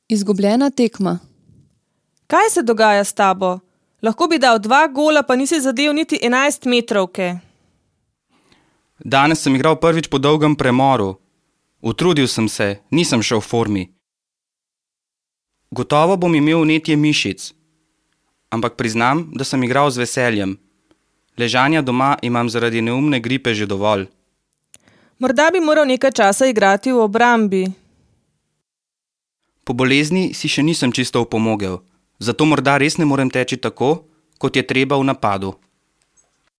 Izgubljena tekma. Kaj se dogaja s tabo? Lahko bi dal 2 gola, pa nisi zadel niti 11 metrovke. Danes sem igral prvič po dolgem premoru. Utrudil sem se, nisem šel v formi. Gotovo bom imel vnetje mišic, ampak priznam, da sem igral z veseljem. Ležanja doma imam zaradi neumne gripe že dovolj. Morda bi moral nekaj časa igrati v obrambi. Po bolezni si še nisem čisto opomogel, zato morda res ne morem teči tako, kot je treba v napadu.